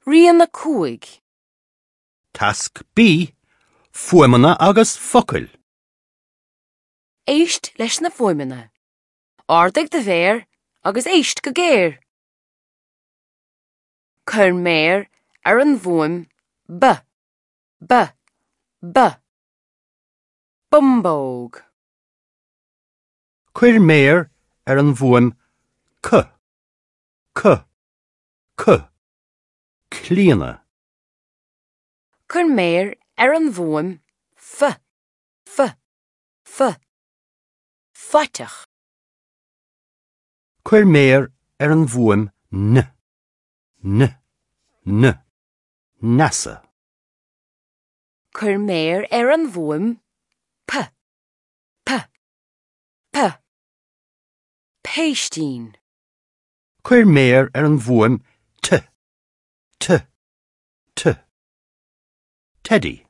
Rian 5. Tasc B, Fuaimeanna agus focail. Éist leis na fuaimeanna. Ardaigh do mhéar agus éist go géar. Cuir méar ar an bhfuaim B, B, B. Bumbóg. Cuir méar ar an bhfuaim C, C, C. Clíona. Cuir méar ar an bhfuaim F, F, F. Faiteach. Cuir méar ar an bhfuaim N, N, N. Neasa. Cuir méar ar an bhfuaim P, P, P. Péistín. Cuir méar ar an bhfuaim T, T, T. Teidí.